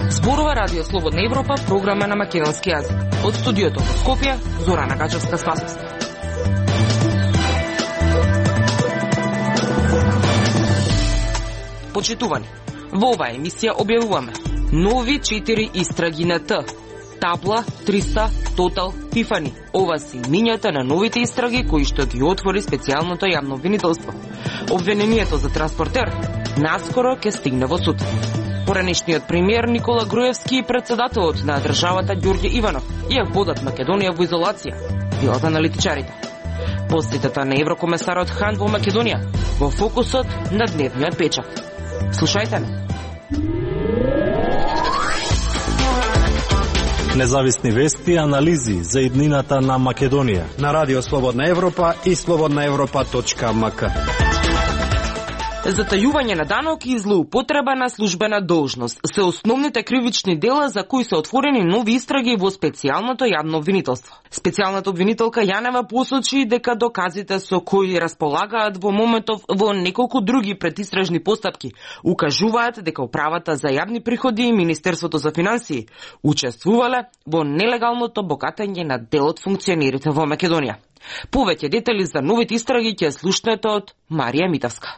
Зборува Радио Слободна Европа, програма на македонски јазик. Од студиото во Скопје, Зорана Гачевска-Спасовска. Почитувани, во оваа емисија објавуваме нови 4 истраги на Т. Табла, 300, Тотал, Тифани. Ова се имињата на новите истраги кои што ги отвори специјалното јавно обвинителство. Обвинението за транспортер наскоро ќе стигне во суд. Поранешниот премиер Никола Груевски и председателот на државата Ѓорѓе Иванов ја водат Македонија во изолација, велат аналитичарите. Посетата на еврокомесарот Хан во Македонија во фокусот на дневниот печат. Слушајте ме. Независни вести и анализи за иднината на Македонија на Радио Слободна Европа и slobodnaevropa.mk. Затајување на данок и злоупотреба на службена должност се основните кривични дела за кои се отворени нови истраги во специјалното јавно обвинителство. Специјалната обвинителка Јанева посочи дека доказите со кои располагаат во моментов во неколку други предистражни постапки укажуваат дека управата за јавни приходи и Министерството за финансии учествувале во нелегалното богатење на дел од функционерите во Македонија. Повеќе детали за новите истраги ќе слушнете од Марија Митавска.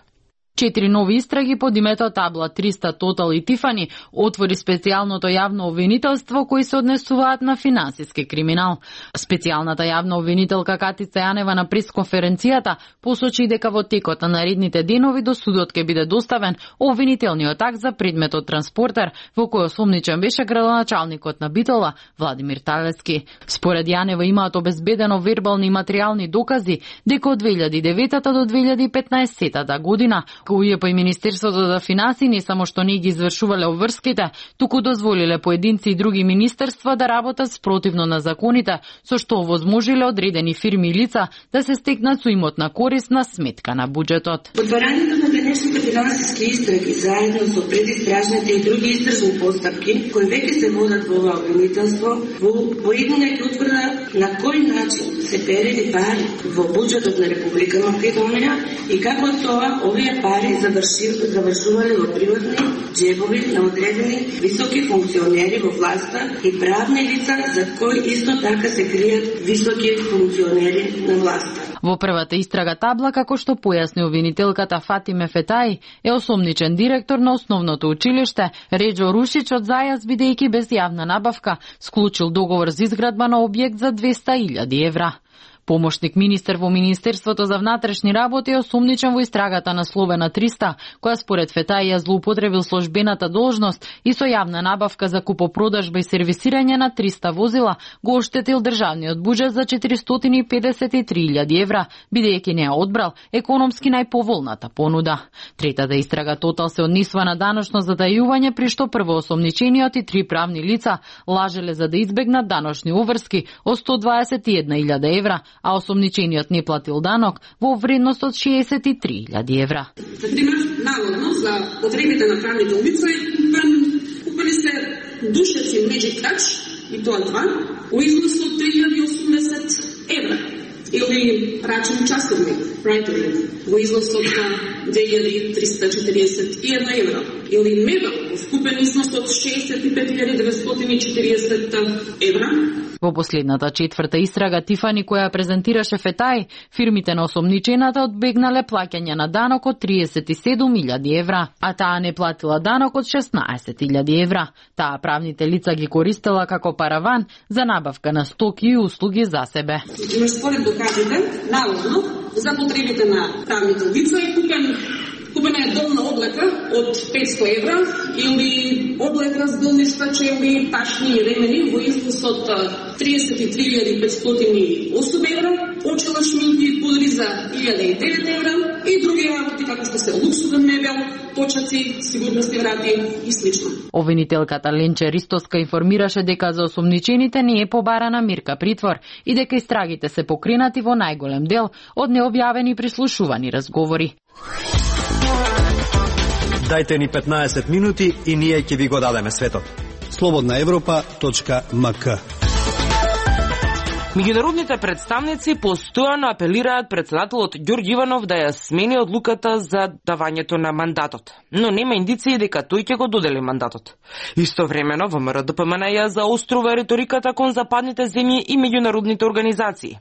4 нови истраги под името Табла, 300, Тотал и Тифани отвори специјалното јавно обвинителство кои се однесуваат на финансиски криминал. Специјалната јавна обвинителка Катица Јанева на пресконференцијата посочи дека во текот на наредните денови до судот ќе биде доставен обвинителниот акт за предметот транспортер во кој осомничен беше градоначалникот на Битола Владимир Талески. Според Јанева имаат обезбедено вербални и материјални докази дека од 2009 до 2015 година УЈП и Министерството за финансии не само што не ги извршувале обврските, туку дозволиле поединци и други министерства да работат спротивно на законите, со што овозможиле одредени фирми и лица да се стекнат со имотна корист на сметка на буџетот. Отварањето на денешните финансиски истраги заедно со предистражните и други истражни постапки кои веќе се водат во ова обвинителство, во иднина ќе утврда на кој начин се перели пари во буџетот на Република Македонија и како тоа овие пари завршувале во приватни џебови на одредени високи функционери во власта и правни лица за кои исто така се кријат високи функционери на власта. Во првата истрага Табла, како што појасни обвинителката Фатиме Фетаи, е осомничен директор на основното училиште Реџо Рушич од зајаз бидејќи без јавна набавка склучил договор за изградба на објект за 200.000 евра. Помошник министер во Министерството за внатрешни работи е осомничен во истрагата на Словена 300, која според Фетаи ја злоупотребил службената должност и со јавна набавка за купопродажба и сервисирање на 300 возила го оштетил државниот буџет за 453.000 евра, бидејќи не ја одбрал економски најповолната понуда. Третата истрага Тотал се однесува на даночно затајување, при што прво осомничениот и 3 правни лица лажеле за да избегнат даночни уврски од 121.000 евра, а осомничениот не платил данок во вредност од 63.000 евра. За пример, наводно за потребите на правните лица купили се душеци Magic Touch и тоа два во износ од 3080 евра. Или рачен часовник Breitling во износ од 2341 евра. Или мебел во скупен износ од 65.940 евра. Во последната четврта истрага Тифани, која презентираше Фетаи, фирмите на осомничената одбегнале плаќање на данок од 37.000 евра, а таа не платила данок од 16.000 евра. Таа правните лица ги користела како параван за набавка на стоки и услуги за себе. Според доказите, наводно, за потребите на правните лица е купена е долна облека од 500 евра или облека с долни штачеви, ташни и ремени во износ од 33.508 евра, очела шминки пудри за 1.009 евра и други работи како што се луксузен мебел, точаци, сигурности врати и слично. Обвинителката Ленче Ристоска информираше дека за осомничените не е побарана мирка притвор и дека истрагите се покренати во најголем дел од необјавени прислушувани разговори. Дајте ни 15 минути и ние ќе ви го дадеме светот. slobodnaevropa.mk. Меѓународните представници постојано апелираат председателот Ѓорѓе Иванов да ја смени одлуката за давањето на мандатот, но нема индиции дека тој ќе го додели мандатот. Истовремено ВМРО-ДПМН ја заострува риториката кон западните земји и меѓународните организации.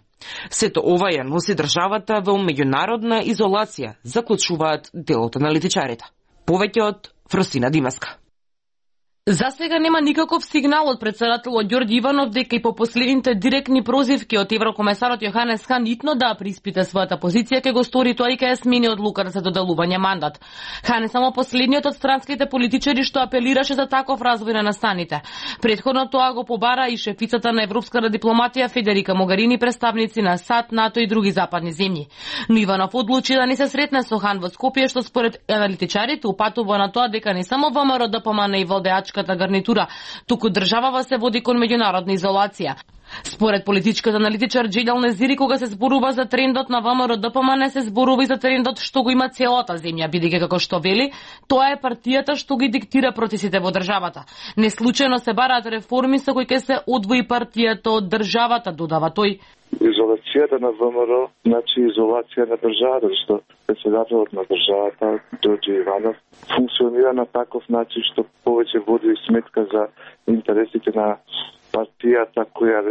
Сето ова ја носи државата во меѓународна изолација, заклучуваат дел од аналитичарите. Повеќе од Фростина Димаска. За сега нема никаков сигнал од председателот Ѓорѓе Иванов дека и по последните директни прозивки од еврокомесарот Јоханес Хан итно да преиспита својата позиција, ќе го стори тоа и ќе ја смени одлуката за доделување мандат. Хан е само последниот од странските политичари што апелираше за таков развој на настаните. Претходно тоа го побара и шефицата на европската дипломатија Федерика Могарини, представници на САД, НАТО и други западни земји. Но Иванов одлучи да не се сретне со Хан во Скопје, што според аналитичарите упатува на тоа дека не само ВМРО-ДПМН и владеачката гарнитура, туку државава се води кон меѓународна изолација. Според политичкиот аналитичар Джелјал Незири, кога се зборува за трендот на ВМРО-ДПМН, се зборува и за трендот што го има целата земја, бидејќи како што вели, тоа е партијата што ги диктира процесите во државата. Неслучајно се бараат реформи со кои ќе се одвои партијата од државата, додава тој. Изолацијата на ВМРО значи изолација на државата, што председателот на државата, Ѓорѓе Иванов, функционира на таков начин што повеќе води сметка за интересите на партијата која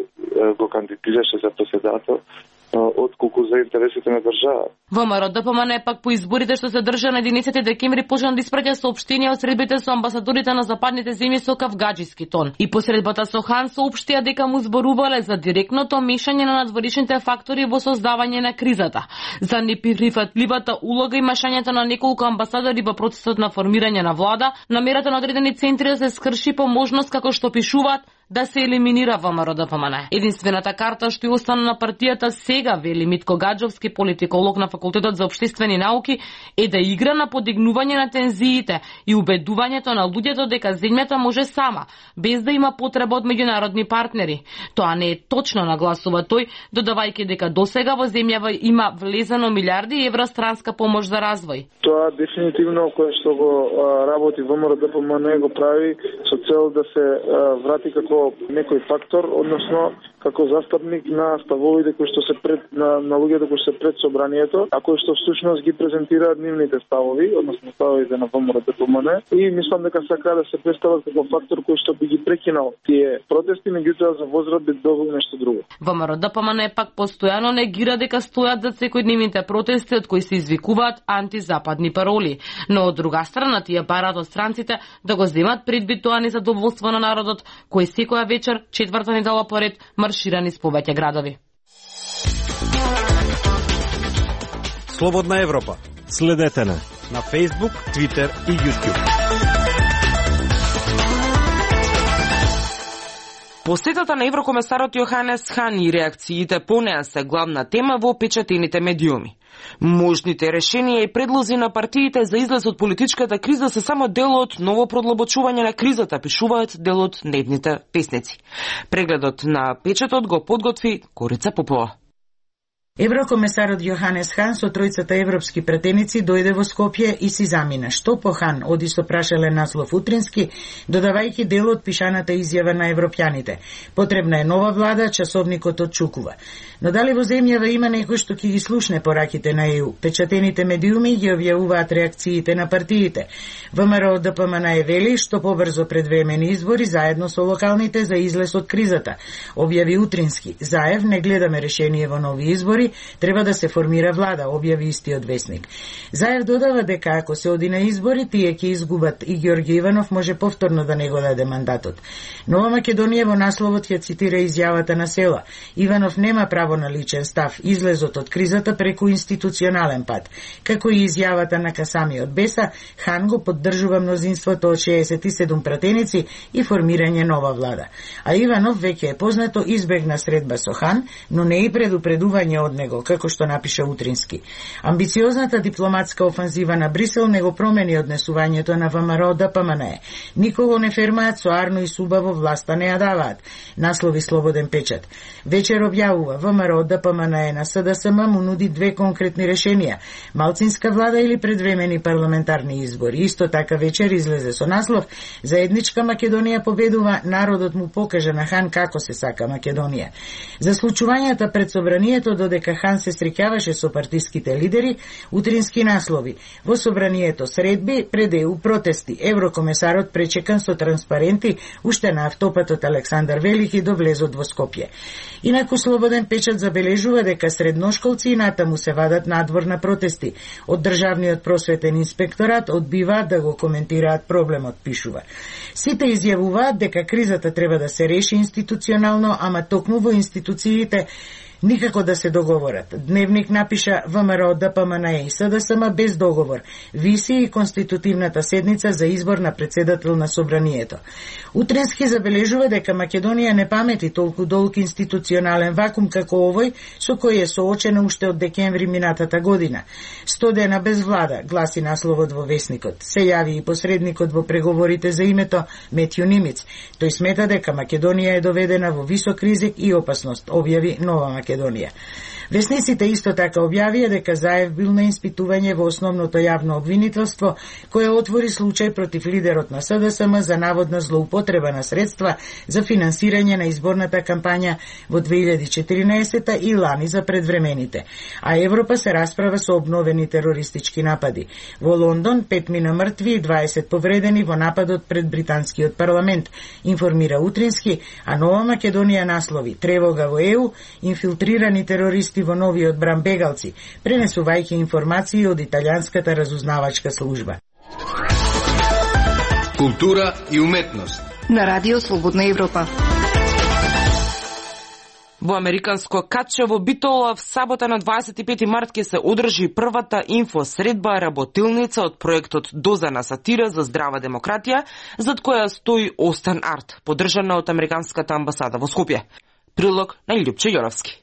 го кандидираше за председател, отколку за интересите на држава. ВМРО-ДПМН пак по изборите што се држа на 11 декември почна да испраќа соопштенија од средбите со амбасадорите на западните земји со кавгаџиски тон. И по средбата со Хан соопштија дека му зборувале за директното мешање на надворешните фактори во создавање на кризата, за неприфатливата улога и мешањето на неколку амбасадори во процесот на формирање на влада, намерата на одредени центри да се скрши по можност, како што пишуваат, да се елиминира ВМРО-ДПМН. Единствената карта што ја остана на партијата сега, вели Митко Гаджовски, политиколог на Факултетот за општествени науки, е да игра на подигнување на тензиите и убедувањето на луѓето дека земјата може сама, без да има потреба од меѓународни партнери. Тоа не е точно, нагласува тој, додавајќи дека досега во земјава има влезено милиарди евра странска помош за развој. Тоа дефинитивно кое што го работи ВМРО-ДПМН го прави со цел да се врати како некој фактор, односно како застапник на ставовите кои што се пред на луѓето кои се пред собранието, а кои што всушност ги презентираат нивните ставови, односно ставовите на ВМРО-ДПМН, и мислам дека сака да се представат како фактор кој што би ги прекинал тие протести, меѓутоа за возраст би добил нешто друго. ВМРО-ДПМН пак постојано негира дека стојат за секојдневните протести од кои се извикуваат антизападни пароли, но од друга страна тие бараат од странците да го земат предвид тоа незадоволство на народот кој секоја вечер, четврта недела поред, маршира низ повеќе градови. Слободна Европа. Следете на Facebook, Twitter и YouTube. Посетата на еврокомесарот Јоханес Хан и реакциите по неа се главна тема во печатените медиуми. Можните решенија и предлози на партиите за излез од политичката криза се само дел од ново продлабочување на кризата, пишуваат дел од дневните весници. Прегледот на печатот го подготви Корица Попова. Еврокомесарот Јоханес Хан со тројцата европски пратеници дојде во Скопје и си замина. Што по Хан оди со прашален наслов утрински, додавајќи дел од пишаната изјава на европјаните. Потребна е нова влада, часовникот отчукува. Но дали во земјава има некој што ќе ги слушне пораките на ЕУ? Печатените медиуми ги објавуваат реакциите на партиите. ВМРО-ДПМН е вели што побрзо предвремени избори заедно со локалните за излез од кризата. Објави утрински. Заев не гледаме решение во нови избори, треба да се формира влада, објави истиот весник. Заев додава дека ако се оди на избори, тие ќе изгубат и Ѓорѓе Иванов може повторно да не го даде мандатот. Нова Македонија во насловот ќе цитира изјавата на Села. Иванов нема право на личен став, излезот од кризата преку институционален пат. Како и изјавата на Касами од Беса, Хан го поддржува мнозинството од 67 пратеници и формирање нова влада. А Иванов, веќе е познато, избегна средба со Хан, но не и предупредување од од него, како што напиша Утрински. Амбициозната дипломатска офанзива на Брисел не го промени однесувањето на ВМРО ДПМН. Никого не фермаат со арно и субаво власта не ја даваат, наслови Слободен печат. Вечер објавува ВМРО ДПМН на СДСМ му нуди две конкретни решенија: малцинска влада или предвремени парламентарни избори. Исто така вечер излезе со наслов: заедничка Македонија победува, народот му покажа на Хан како се сака Македонија. За случувањата пред собранието додека Хан се среќаваше со партиските лидери, Утрински наслови: во собранието средби, пред ЕУ протести, еврокомесарот пречекан со транспаренти уште на автопатот Александар Велики до влезот во Скопје. Инаку Слободен печат забележува дека средношколци и натаму се вадат надвор на протести. Од државниот просветен инспекторат одбиваат да го коментираат проблемот, пишува. Сите изјавуваат дека кризата треба да се реши институционално, ама токму во институциите никако да се договорат. Дневник напиша: ВМРО ДПМН и СДСМ без договор. Виси и конститутивната седница за избор на председател на собранието. Утрински забележува дека Македонија не памети толку долг институционален вакуум како овој со кој е соочена уште од декември минатата година. 100 дена без влада, гласи насловот во Весникот. Се јави и посредникот во преговорите за името Метју Нимиц. Тој смета дека Македонија е доведена во висок ризик и опасност, објави Нова Македонија. Весниците исто така објавија дека Заев бил на испитување во основното јавно обвинителство, кое отвори случај против лидерот на СДСМ за наводна злоупотреба на средства за финансирање на изборната кампања во 2014 и лани за предвремените. А Европа се расправа со обновени терористички напади. Во Лондон 5 мина мртви и 20 повредени во нападот пред британскиот парламент, информира Утрински, а Нова Македонија наслови: тревога во ЕУ, инфилтрирани терористи во новиот бран бегалци, пренесувајќи информации од италијанската разузнавачка служба. Култура и уметност на Радио Слободна Европа. Во американско Катче во Битола в сабота на 25 март ќе се одржи првата инфосредба работилница од проектот Доза на сатира за здрава демократија, зад која стои Остен Арт, поддржана од американската амбасада во Скопје. Прилог на Љупче Јоровски.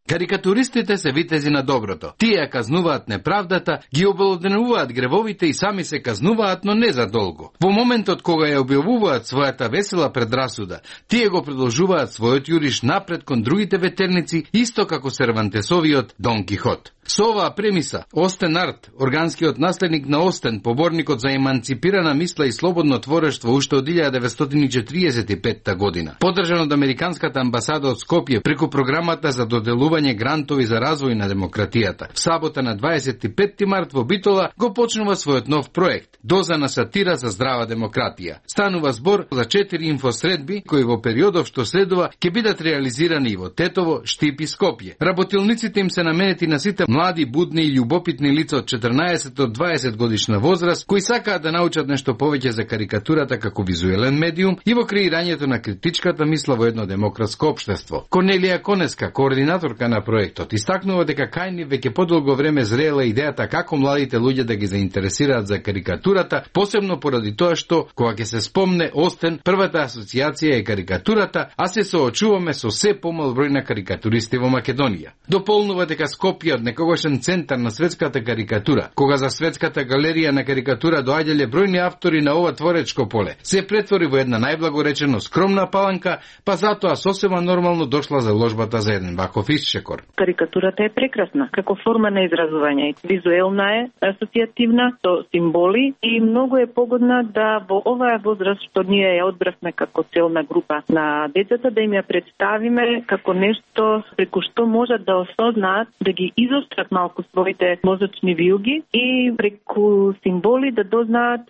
Карикатуристите се витези на доброто. Тие казнуваат неправдата, ги обелоденуваат гревовите и сами се казнуваат, но не за долго. Во моментот кога ја објавуваат својата весела предрасуда, тие го продолжуваат својот јуриш напред кон другите ветерници, исто како Сервантесовиот Дон Кихот. Со оваа премиса, Остен Арт, органскиот наследник на Остен, поборникот за еманципирана мисла и слободно творештво уште од 1945 година, поддржан од американската амбасада од Скопје преку програмата за доделување грантови за развој на демократијата. В сабота на 25 март во Битола го почнува својот нов проект Доза на сатира за здрава демократија. Станува збор за 4 инфосредби кои во периодов што следува ќе бидат реализирани и во Тетово, Штип и Скопје. Работилниците им се наменети на сите млади, будни и љубопитни лица од 14 до 20 годишна возраст кои сакаат да научат нешто повеќе за карикатурата како визуелен медиум и во креирањето на критичката мисла во едно демократско општество. Корнелија Конеска, координаторка на проектот, истакнува дека кај нив веќе подолго време зреела идејата како младите луѓе да ги заинтересираат за карикатурата, посебно поради тоа што, кога ќе се спомне Остен, првата асоциација е карикатурата, а се соочуваме со се помал број на карикатуристи во Македонија. Дополнува дека Скопје од некогашен центар на светската карикатура, кога за светската галерија на карикатура доаѓале бројни автори на ова творечко поле, се претвори во една најблагоречено скромна паланка, па затоа сосема нормално дошла заложбата за еден ваков исчекор. Карикатурата е прекрасна како форма на изразување. Визуелна е, асоцијативна, со символи и многу е погодна да во оваа возраст што ние ја одбравме како целна група на децата да им ја представиме како нешто преку што можат да осознаат, да ги изострат малку своите мозочни вилги и преку символи да дознаат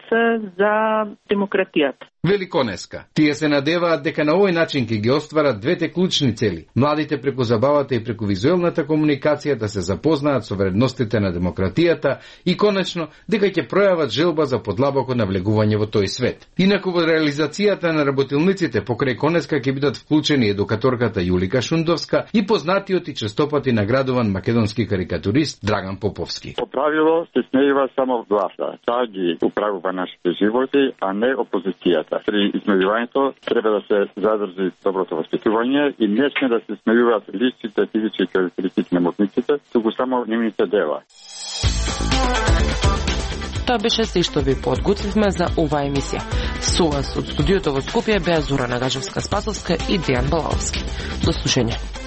за демократијата. Великонеска. Тие се надеваат дека на овој начин ќе ги остварат двете клучни цели. Младите преку забавата и преку визуелната комуникација да се запознаат со вредностите на демократијата и конечно дека ќе пројават желба за подлабоко навлегување во тој свет. Инаку во реализацијата на работилниците покрај Конеска ќе бидат вклучени едукаторката Јулика Шундовска и познатиот и честопати наградуван македонски карикатурист карикатурист Драган Поповски. По правило се смејува само власта. Таа ги управува нашите животи, а не опозицијата. При измејувањето треба да се задржи доброто воспитување и не сме да се смејуваат личните физички карактеристики на модниците, туку само нивните дела. Тоа беше се што ви подготвивме за оваа емисија. Со вас од студиото во Скопје беа Зора Нагажевска-Спасовска и Дејан Балаовски. До слушање.